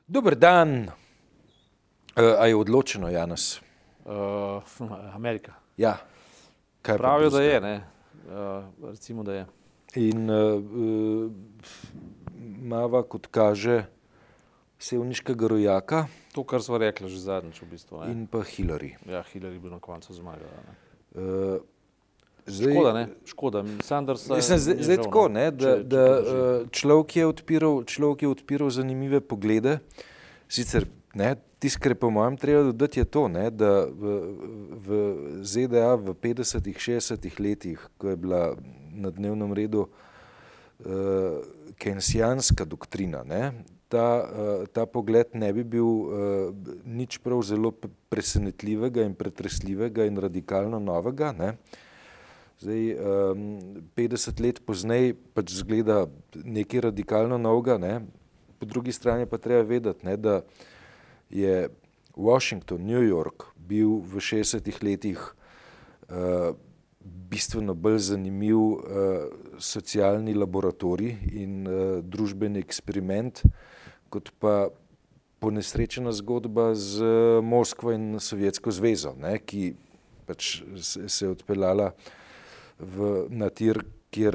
Dober dan. A je odločeno, Janez? Amerika. Ja. Kaj pa Pravijo, da drugega? je, ne. Recimo, da je. In mava, kot kaže, sevniškega rojaka To, kar sva rekla že zadnjič v bistvu. Ne. in pa Hillary. Ja, Hillary bi na koncu zmagala. Ne. Zdaj, Škoda, ne. Škoda. Sanders Mislim, zdaj tako, ne, da človek je odpiral zanimive poglede. Sicer, ne, tisto, kar je po mojem treba dodati, je to, ne, da v ZDA v 50-ih, 60-ih letih, ko je bila na dnevnem redu keynesijanska doktrina, ne, ta pogled ne bi bil nič prav zelo presenetljivega in pretresljivega in radikalno novega, ne. Zdaj, 50 let pozneje pač zgleda nekaj radikalno novega, ne. Po drugi strani pa treba vedeti, ne, da je Washington, New York bil v 60-ih letih bistveno bolj zanimiv socialni laboratorij in družbeni eksperiment, kot pa ponesrečena zgodba z Moskvo in Sovjetsko zvezo, ne, ki pač se je odpeljala na tir, kjer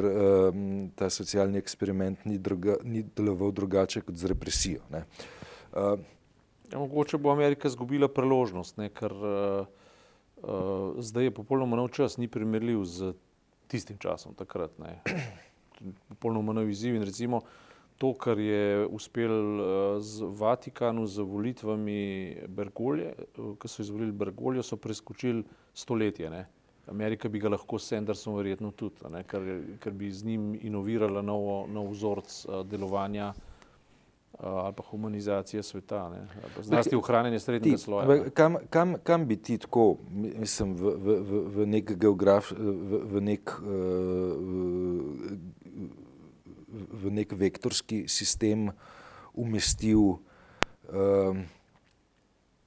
ta socialni eksperiment ni deloval drugače kot z represijo, ne. Mogoče bo Amerika izgubila priložnost, ne, ker zdaj je popolnoma nov čas, ni primerljiv z tistim časom takrat, ne. Popolnoma nov izziv in recimo to, kar je uspel z Vatikanu z volitvami Bergoglje, ko so izvolili Bergogljo, so preskočili stoletje, ne. Amerika bi ga lahko s Sandersom verjetno tudi, ne, ker bi z njim inovirala nov vzorec delovanja ali pa humanizacije sveta, ne. Zlasti ohranjanje srednjega sloja. Kam bi ti tako, mislim, v nek v nek vektorski sistem umestil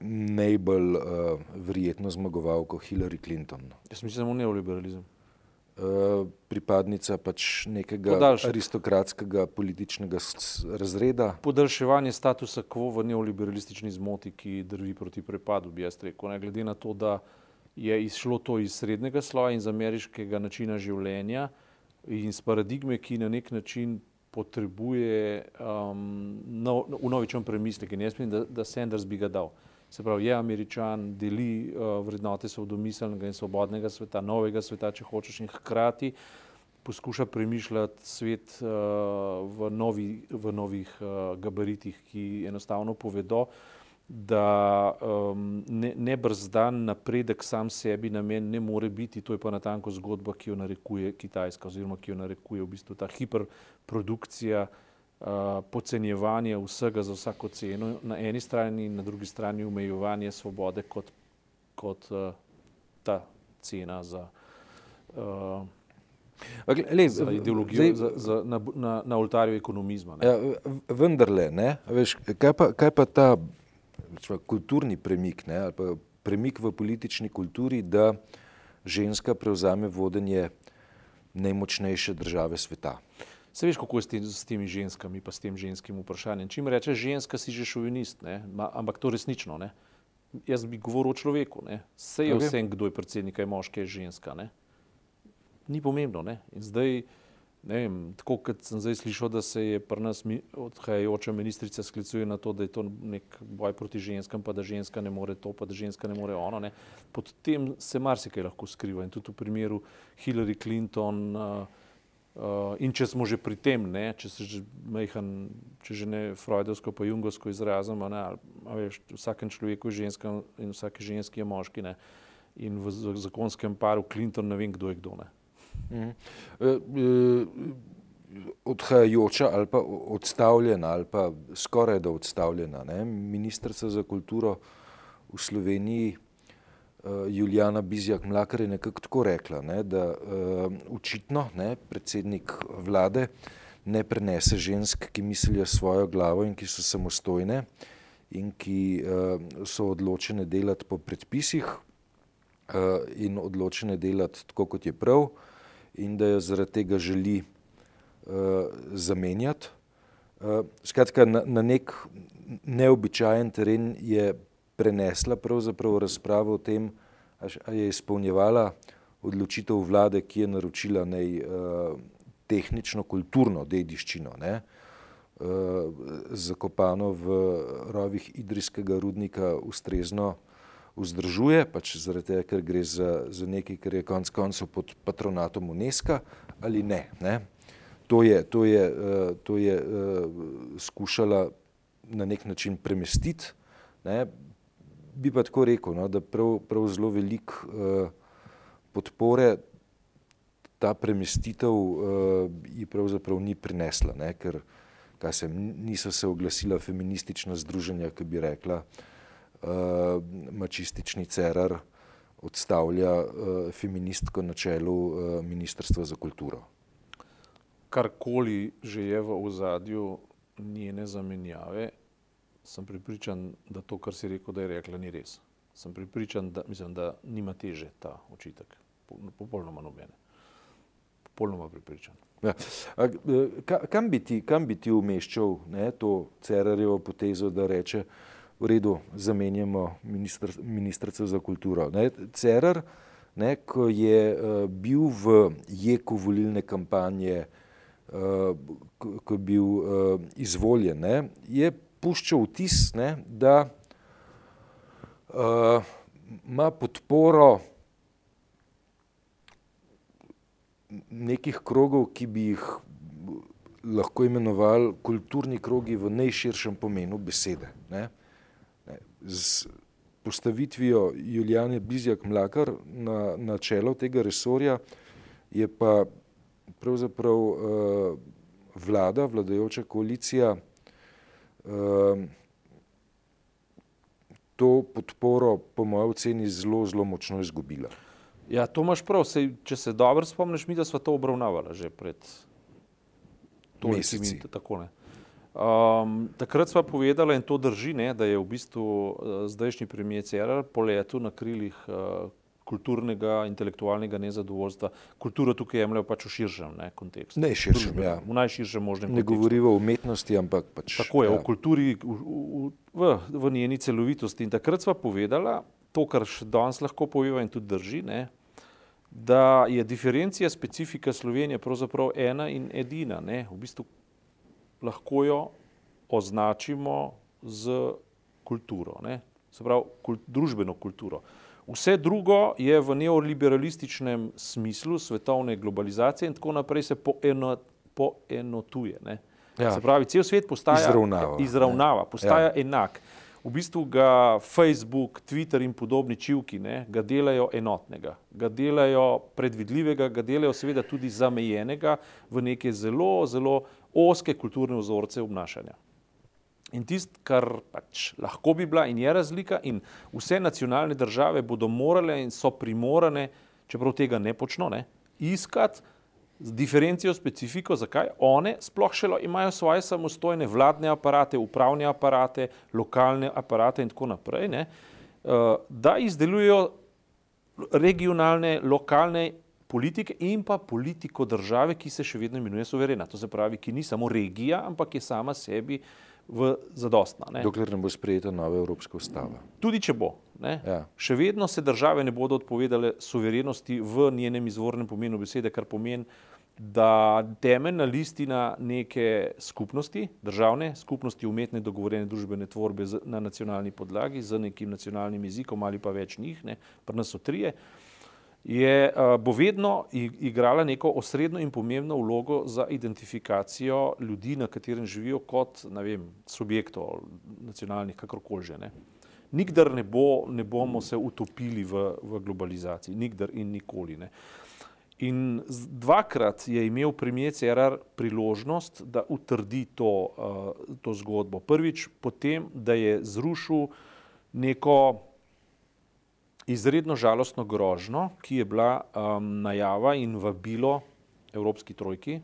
najbolj verjetno zmagovalko Hillary Clinton? Jaz mislim samo neoliberalizem. Pripadnica pač nekega aristokratskega političnega razreda. Podaljševanje statusa quo v neoliberalistični zmoti, ki drvi proti prepadu, bi jaz rekel, ne, glede na to, da je izšlo to iz srednjega sloja in z ameriškega načina življenja in z paradigme, ki na nek način potrebuje vnovičen premislek in jaz mislim, da Sanders bi ga dal. Se pravi, je Američan, deli vrednote svobodnomiselnega in svobodnega sveta, novega sveta, če hočeš, in hkrati poskuša premišljati svet v novih gabaritih, ki enostavno povedo, da nebrzdan napredek sam sebi namen ne more biti, to je pa natanko zgodba, ki jo narekuje Kitajska oziroma ki jo narekuje v bistvu ta hiperprodukcija, podcenjevanje vsega za vsako ceno na eni strani in na drugi strani omejevanje svobode kot ta cena za ideologijo, na oltarju ekonomizma. Ja, vendarle, ne, veš, kaj pa ta kulturni premik, ne, ali pa premik v politični kulturi, da ženska prevzame vodenje najmočnejše države sveta. Se veš, kako je s temi ženskami pa s tem ženskim vprašanjem. Čim rečeš ženska, si že šovinist, ne, ampak to resnično, ne. Jaz bi govoril o človeku, ne. Saj je vsem, kdo je predsednik, je moški, je ženska, ne. Ni pomembno, ne. In zdaj, ne vem, tako kot sem zdaj slišal, da se je pri nas odhajajoča ministrica sklicuje na to, da je to nek boj proti ženskam, pa da ženska ne more to, pa da ženska ne more ono, ne. Pod tem se marsikaj lahko skriva in tudi v primeru Hillary Clinton in če smo že pri tem, ne, če že ne freudovsko pa jungovsko izrazimo, ne, a veš, v vsakem človeku je ženska in vsaki ženski je moški, ne. In v zakonskem paru Clinton ne vem, kdo je kdo, ne. Odhajajoča ali pa odstavljena ali pa skoraj da odstavljena, ne, ministrica za kulturo v Sloveniji Julijana Bizjak-Mlakar je nekako tako rekla, ne, da očitno, ne, predsednik vlade ne prenese žensk, ki mislijo svojo glavo in ki so samostojne in ki so odločene delati po predpisih in odločene delati tako, kot je prav, in da jo zaradi tega želi zamenjati. Skratka, na nek neobičajen teren je prenesla pravzaprav razpravo o tem, a je izpolnjevala odločitev vlade, ki je naročila tehnično-kulturno dediščino, ne, zakopano v rovih idrijskega rudnika ustrezno vzdržuje, pač zaradi tega, ker gre za nekaj, kar je konec koncev pod patronatom UNESCO ali ne, ne. To je skušala na nek način premestiti, ne. Bi pa tako rekel, no, da prav zelo veliko podpore ta premestitev ji pravzaprav ni prinesla, ne, ker niso se oglasila feministična združenja, ki bi rekla, mačistični Cerar odstavlja feministko na čelu Ministrstva za kulturo. Karkoli že je v ozadju njene zamenjave, sem prepričan, da to, kar si rekel, da je rekla, ni res. Sem prepričan, da nima teže ta očitek. Popolnoma nobene. Popolnoma prepričan. Ja. Kam bi ti umeščal, ne, to Cerarjevo potezo, da reče, v redu, zamenjamo ministrico za kulturo. Ne, Cerar, ne, ko je bil v jeku volilne kampanje, ko je bil izvoljen, ne, je puščal vtis, ne, da ima podporo nekih krogov, ki bi jih lahko imenovali kulturni krogi v najširšem pomenu besede. Ne. Z postavitvijo Julijane Bizjak Mlakar na čelo tega resorja je pa pravzaprav vladajoča koalicija to podporo po moji oceni zelo močno izgubila. Ja, to imaš prav. Če se dobro spomniš, mi da sva to obravnavala že pred meseci. Tako, ne. Takrat sva povedala, in to drži, ne, da je v bistvu zdajšnji premier Cerar poletel na krilih kulturnega, intelektualnega nezadovoljstva. Kulturo tukaj jemljajo pač v širšem kontekstu. Najširšem, ja. V najširšem možnem kontekstu. Ne govoriva o umetnosti, ampak pač. Tako je, o kulturi v njeni celovitosti. In takrat sva povedala, to, kar še danes lahko poveva in tudi drži, ne, da je diferencija specifika Slovenije pravzaprav ena in edina. Ne. V bistvu lahko jo označimo z kulturo, ne. Se pravi, družbeno kulturo. Vse drugo je v neoliberalističnem smislu svetovne globalizacije in tako naprej se poenotuje. Ne. Ja. Se pravi, cel svet postaja izravnava, postaja enak. V bistvu ga Facebook, Twitter in podobni čivki, ne, ga delajo enotnega, ga delajo predvidljivega, ga delajo seveda tudi zamejenega v neke zelo ozke kulturne vzorce obnašanja. In tisto, kar pač lahko bi bila in je razlika, in vse nacionalne države bodo morale in so primorane, čeprav tega ne počno, ne, iskati diferencijo, specifiko, zakaj one sploh še imajo svoje samostojne vladne aparate, upravne aparate, lokalne aparate in tako naprej, ne, da izdelujejo regionalne, lokalne politike in pa politiko države, ki se še vedno imenuje suverena. To se pravi, ki ni samo regija, ampak je sama sebi zadostna. Ne. Dokler ne bo sprejeta nova evropska ustava. Tudi če bo. Ne. Ja. Še vedno se države ne bodo odpovedale suverenosti v njenem izvornem pomenu besede, kar pomeni, da temeljna listina neke skupnosti, državne skupnosti, umetne dogovorjene družbene tvorbe na nacionalni podlagi z nekim nacionalnim jezikom ali pa več njih, ne, pri nas so trije, bo vedno igrala neko osrednjo in pomembno vlogo za identifikacijo ljudi, na katerem živijo kot, ne vem, subjektov nacionalnih, kakorkoli že, ne. Nikdar ne bomo se utopili v globalizaciji, nikdar in nikoli, ne. In dvakrat je imel premier Cerar priložnost, da utrdi to zgodbo. Prvič potem, da je zrušil neko izredno žalostno grožnjo, ki je bila najava in vabilo Evropski trojki,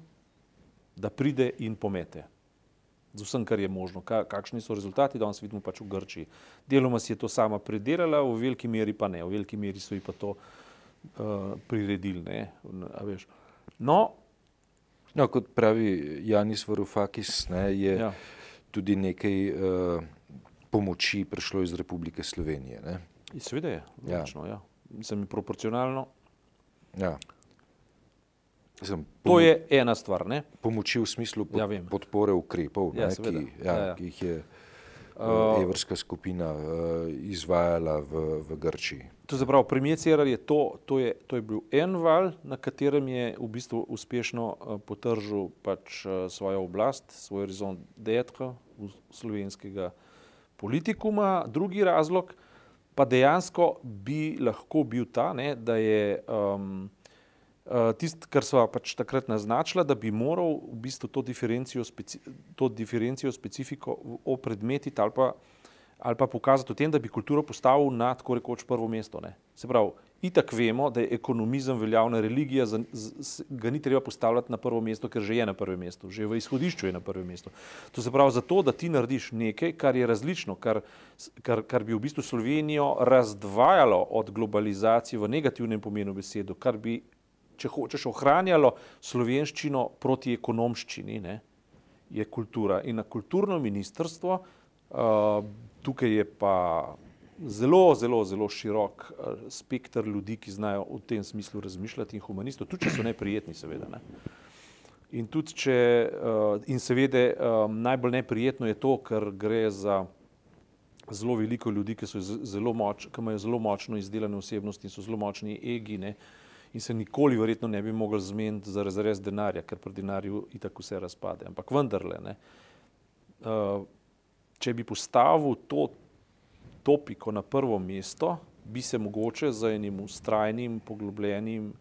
da pride in pomete. Z vsem, kar je možno. Kakšni so rezultati, danes vidimo pač v Grčiji. Deloma si je to sama predelala, v veliki meri pa ne. V veliki meri so ji pa to priredili, ne, a veš. No, No, kot pravi Janis Varoufakis, ne, je tudi nekaj pomoči prišlo iz Republike Slovenije. Ne. Seveda je, logično, ja. Mislim, proporcionalno. Ja. To je ena stvar, ne? Pomoči v smislu podpore ukrepov, ne, ki jih je evrska skupina izvajala v Grčiji. To se pravi, premier Cerar to je bil en val, na katerem je v bistvu uspešno potržil pač svojo oblast, svoj horizont d'être slovenskega politikuma. Drugi razlog pa dejansko bi lahko bil ta, ne, da je tisto, kar sva pač takrat naznačila, da bi moral v bistvu to diferencijo specifiko opredmetiti ali pa pokazati v tem, da bi kulturo postavil na tako rekoč prvo mesto. Ne. Se pravi, itak vemo, da je ekonomizem veljavna religija, ga ni treba postavljati na prvo mesto, ker že je na prvem mestu, že v izhodišču je na prvem mestu. To se pravi, zato, da ti narediš nekaj, kar je različno, kar bi v bistvu Slovenijo razdvajalo od globalizacije v negativnem pomenu besedo, kar bi, če hočeš, ohranjalo slovenščino proti ekonomščini, ne, je kultura. In na kulturno ministrstvo, tukaj je pa zelo širok spekter ljudi, ki znajo v tem smislu razmišljati in humanistov, tudi če so neprijetni, seveda. Ne. In seveda najbolj neprijetno je to, ker gre za zelo veliko ljudi, ki imajo zelo močno izdelane osebnosti in so zelo močni egi, ne, in se nikoli verjetno ne bi mogli zmeniti za razrez denarja, ker pri denarju itak vse razpade. Ampak vendarle, ne, če bi postavil to topiko na prvo mesto, bi se mogoče z enim vztrajnim, poglobljenim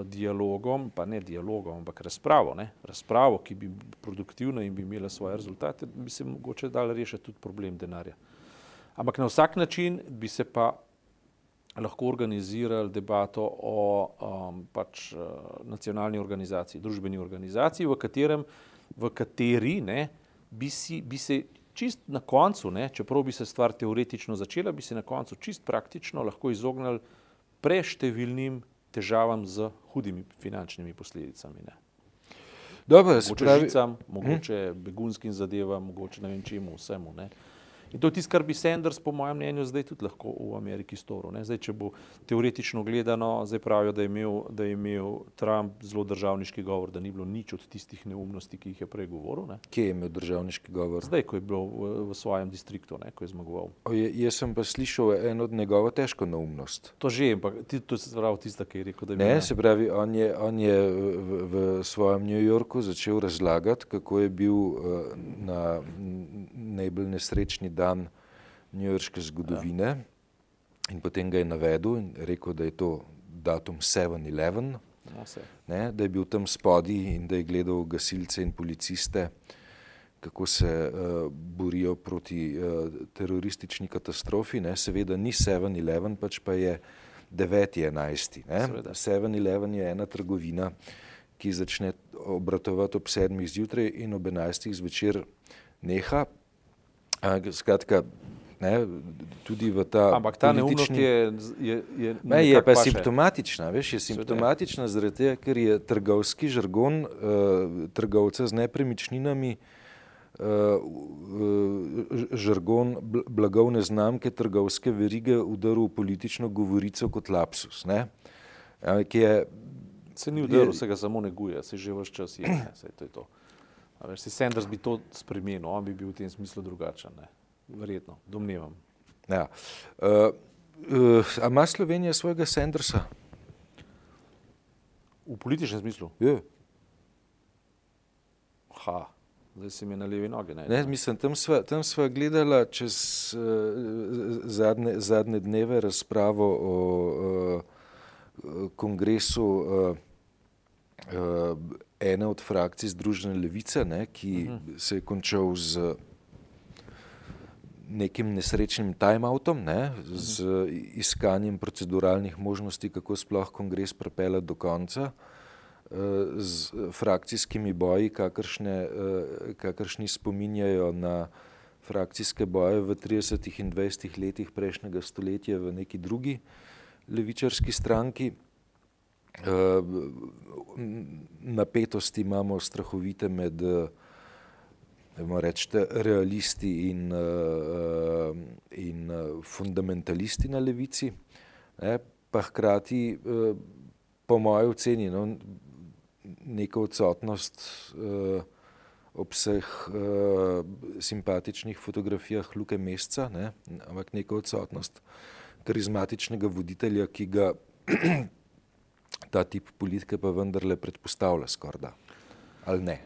dialogom, pa ne dialogom, ampak razpravo, ki bi produktivna in bi imela svoje rezultate, bi se mogoče dal rešiti tudi problem denarja. Ampak na vsak način bi se pa lahko organizirali debato o pač nacionalni organizaciji, družbeni organizaciji, v kateri ne, bi se čist na koncu, ne, čeprav bi se stvar teoretično začela, bi se na koncu čist praktično lahko izognili preštevilnim težavam z hudimi finančnimi posledicami. Ne. Dobro, mogoče žicam, mogoče begunskim zadevam, mogoče ne vem čemu, vsemu. Ne. In to je tisto, kar bi Sanders, po mojem mnenju, zdaj tudi lahko v Ameriki storil. Ne. Zdaj, če bo teoretično gledano, zdaj pravijo, da je imel Trump zelo državniški govor, da ni bilo nič od tistih neumnosti, ki jih je prej govoril. Ne. Kje je imel državniški govor? Zdaj, ko je bil v svojem distriktu, ne, ko je zmagoval. Jaz sem pa slišal eno od njegovo težko neumnost. To že, ampak to se pravi tista, ki je rekel, da je ne, se pravi, on je v svojem New Yorku začel razlagati, kako je bil na najbolj nesrečni dan newyorške zgodovine in potem ga je navedel in rekel, da je to datum 7/11, da je bil tam spodaj in da je gledal gasilce in policiste, kako se borijo proti teroristični katastrofi. Ne. Seveda ni 7/11, pač pa je 9/11. 7/11 je ena trgovina, ki začne obratovati ob 7 zjutraj in ob 11 zvečer neha. Skratka, ne, tudi v ta ampak ta neumnost je pa simptomatična, veš, je simptomatična zaradi tega, ker je trgovski žargon trgovca z nepremičninami, žargon blagovne znamke trgovske verige udaril politično govorico kot lapsus, ne, ki je se ni udaril, se ga samo neguje, se že ves čas je, saj to je to. A veš, Sanders bi to spremenil, on bi bil v tem smislu drugačen, ne? Verjetno, domnevam. Ja. A ima Slovenija svojega Sandersa? V političnem smislu? Ja. Zdaj si mi na levi nogi. Ne, mislim, tam sva gledala čez zadnje dneve razpravo o kongresu ene od frakcij Združene levice, ne, ki se je končal z nekim nesrečnim time-outom, ne, z iskanjem proceduralnih možnosti, kako sploh kongres pripeljati do konca, z frakcijskimi boji, kakršni spominjajo na frakcijske boje v 30. in 20. letih prejšnjega stoletja v neki drugi levičarski stranki. napetosti imamo strahovite med rečete, realisti in fundamentalisti na levici, ne, pa hkrati po moji oceni neka odsotnost ob vseh simpatičnih fotografijah Luke Mesca, ne, ampak neka odsotnost karizmatičnega voditelja, ki ga ta tip politike pa vendarle predpostavlja skorda. Ali ne?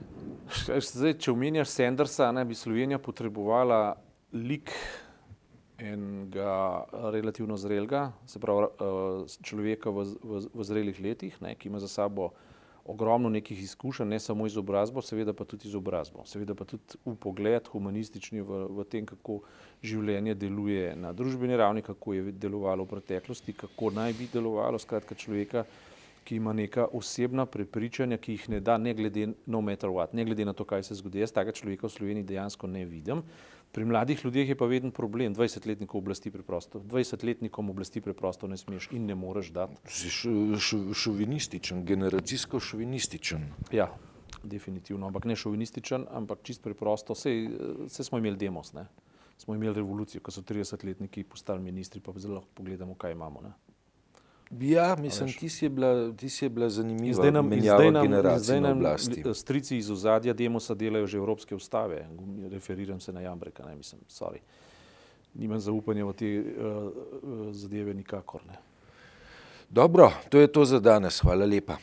Zdaj, če omenjaš Sandersa, bi Slovenija potrebovala lik enega relativno zrelega, se pravi človeka v zrelih letih, ki ima za sabo ogromno nekih izkušenj, ne samo izobrazbo, seveda pa tudi izobrazbo. Seveda pa tudi vpogled humanistični v tem, kako življenje deluje na družbeni ravni, kako je delovalo v preteklosti, kako naj bi delovalo, skratka človeka, ki ima neka osebna prepričanja, ki jih ne da ne glede no matter what, ne glede na to, kaj se zgodi. Jaz takega človeka v Sloveniji dejansko ne vidim. Pri mladih ljudeh je pa veden problem, 20-letnikov oblasti preprosto. 20-letnikom oblasti preprosto ne smeš in ne moreš dati. Šovinističen, generacijsko šovinističen. Ja, definitivno, ampak ne šovinističen, ampak čist preprosto. Saj smo imeli demos, ne? Smo imeli revolucijo, ko so 30-letniki postali ministri, pa zelo lahko pogledamo, kaj imamo, ne? Ja, mislim, ti si je bila zanimiva menjava generacij na oblasti. Strici iz ozadja demosa delajo že evropske ustave. Referiram se na Jambreka, ne, mislim, sorry. Nimam zaupanja v te zadeve nikakor, ne. Dobro, to je to za danes. Hvala lepa.